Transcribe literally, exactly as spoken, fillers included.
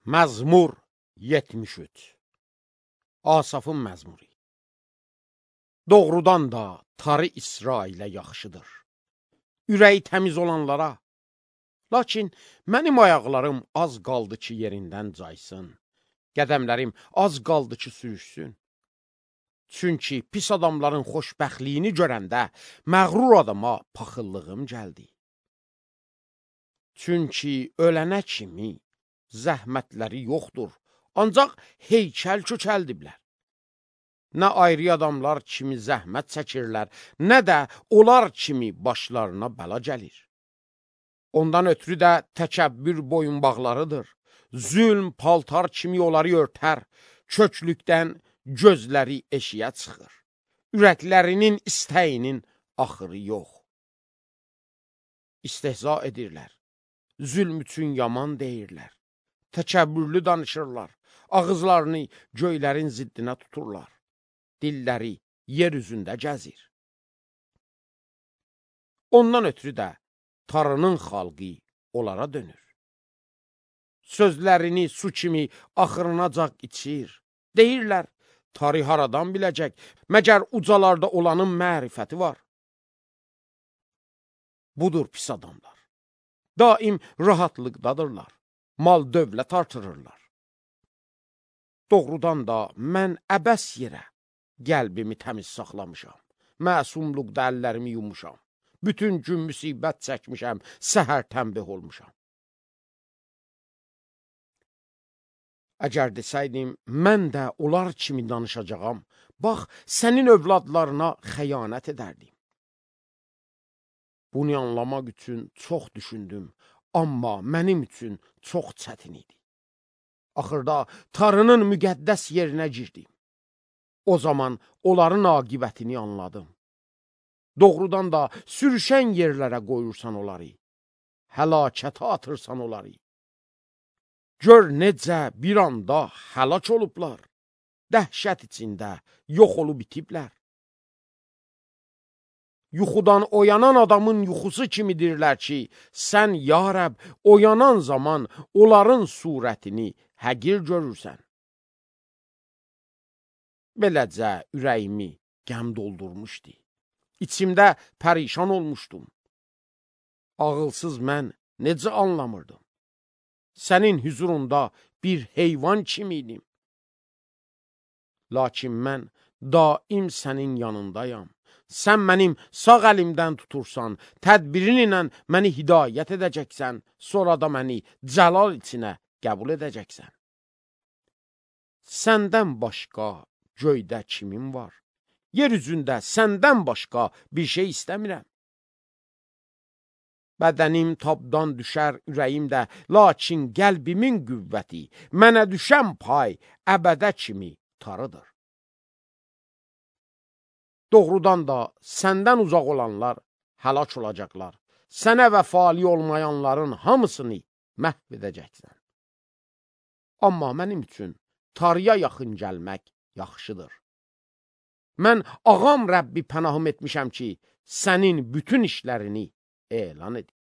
Məzmur yetmiş üç. Asafın məzmuri. Doğrudan da tarı İsrailə yaxşıdır. Ürəyi təmiz olanlara. Lakin mənim ayaqlarım az qaldı ki, yerindən caysın. Qədəmlərim az qaldı ki, sürüşsün. Çünki pis adamların xoşbəxtliyini görəndə məğrur adama paxıllığım gəldi. Çünki ölənə kimi zəhmətləri yoxdur, ancaq heykəl kökəldiblər. Nə ayrı adamlar kimi zəhmət çəkirlər, nə də onlar kimi başlarına bəla gəlir. Ondan ötürü də təkəbbür boyunbağlarıdır. Zülm paltar kimi onları örtər, köklükdən gözləri eşiyə çıxır. Ürəklərinin istəyinin axırı yox. İstehza edirlər, zülm üçün yaman deyirlər. Təkəbbürlü danışırlar, ağızlarını göylərin ziddinə tuturlar. Dilləri yer üzündə gəzir. Ondan ötürü də tarının xalqı onlara dönür. Sözlərini su kimi axırınacaq içir. Deyirlər, tarih haradan biləcək, məgər ucalarda olanın mərifəti var. Budur pis adamlar. Daim rahatlıqdadırlar, mal dövlət artırırlar. Doğrudan da mən əbəs yerə qəlbimi təmiz saxlamışam, məsumluqda əllərimi yumuşam, bütün gün müsibət çəkmişəm, səhər tənbih olmuşam. Əgər desəydim, mən də onlar kimi danışacağam, bax, sənin övladlarına xəyanət edərdim. Bunu anlamaq üçün çox düşündüm, amma mənim üçün çox çətin idi. Axırda tarının müqəddəs yerinə girdim. O zaman onların aqibətini anladım. Doğrudan da sürüşən yerlərə qoyursan onları, həlakətə atırsan onları. Gör necə bir anda həlak olublar, dəhşət içində yox olub itiblər. Yuxudan oyanan adamın yuxusu kimidirlər ki, sən, ya Rəbb, oyanan zaman onların surətini həqir görürsən. Beləcə ürəyimi qəm doldurmuşdu. İçimdə pərişan olmuşdum. Ağılsız mən necə anlamırdım? Sənin hüzurunda bir heyvan kimiydim. Lakin mən daim sənin yanındayam. Sən mənim sağ əlimdən tutursan, tədbirin ilə məni hidayət edəcəksən, sonra da məni cəlal içinə qəbul edəcəksən. Səndən başqa göydə kimin var? Yer üzündə səndən başqa bir şey istəmirəm. Bədənim tabdan düşər ürəyimdə, lakin qəlbimin qüvvəti, mənə düşən pay əbədə kimi tarıdır. Doğrudan da səndən uzaq olanlar həlak olacaqlar. Sənə vəfali olmayanların hamısını məhv edəcəksən. Amma mənim üçün tarıya yaxın gəlmək yaxşıdır. Mən ağam Rəbbi pənahım etmişəm ki, sənin bütün işlərini elan edir.